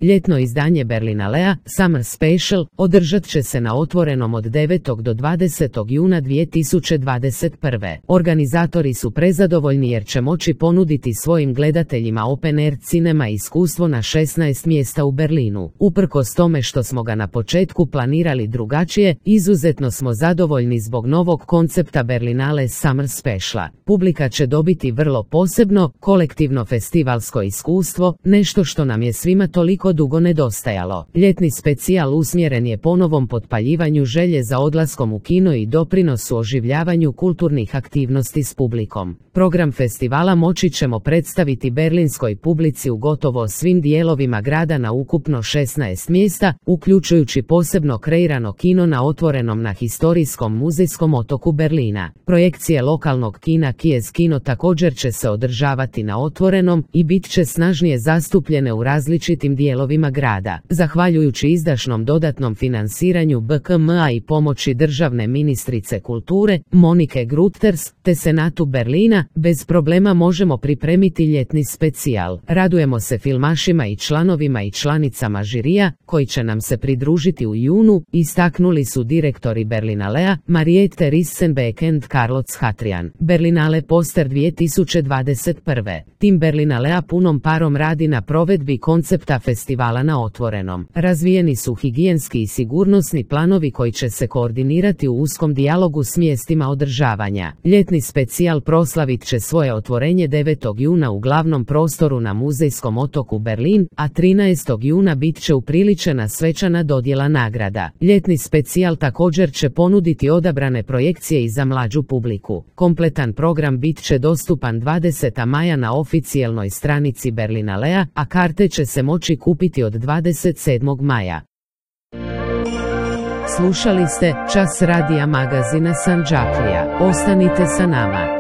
Ljetno izdanje Berlinalea, Summer Special, održat će se na Otvorenom od 9. do 20. juna 2021. Organizatori su prezadovoljni jer će moći ponuditi svojim gledateljima open air cinema iskustvo na 16 mjesta u Berlinu. Uprkos tome što smo ga na početku planirali drugačije, izuzetno smo zadovoljni zbog novog koncepta Berlinale Summer Speciala. Publika će dobiti vrlo posebno, kolektivno festivalsko iskustvo, nešto što nam je svima toliko dugo nedostajalo. Ljetni specijal usmjeren je ponovom potpaljivanju želje za odlaskom u kino i doprinosu oživljavanju kulturnih aktivnosti s publikom. Program festivala moći ćemo predstaviti berlinskoj publici u gotovo svim dijelovima grada na ukupno 16 mjesta, uključujući posebno kreirano kino na Otvorenom na historijskom muzejskom otoku Berlina. Projekcije lokalnog kina Kiez Kino također će se održavati na Otvorenom i bit će snažnije zastupljene u različitim dijelovima grada. Zahvaljujući izdašnom dodatnom finansiranju BKM-a i pomoći državne ministrice kulture, Monike Grütters, te Senatu Berlina, bez problema možemo pripremiti ljetni specijal. Radujemo se filmašima i članovima i članicama žirija, koji će nam se pridružiti u junu, istaknuli su direktori Berlinalea, Mariette Rissenbeck and Carlos Hatrian. Berlinale Poster 2021. Tim Berlinalea punom parom radi na provedbi koncepta festivala na Otvorenom. Razvijeni su higijenski i sigurnosni planovi koji će se koordinirati u uskom dijalogu s mjestima održavanja. Ljetni specijal proslavit će svoje otvorenje 9. juna u glavnom prostoru na muzejskom otoku Berlin, a 13. juna bit će upriličena svečana dodjela nagrada. Ljetni specijal također će ponuditi odabrane projekcije i za mlađu publiku. Kompletan program bit će dostupan 20. maja na oficijelnoj stranici Berlinalea, a karte će se moći kupiti od 27. maja. Slušali ste Čas radija magazina Sanđaklija. Ostanite sa nama.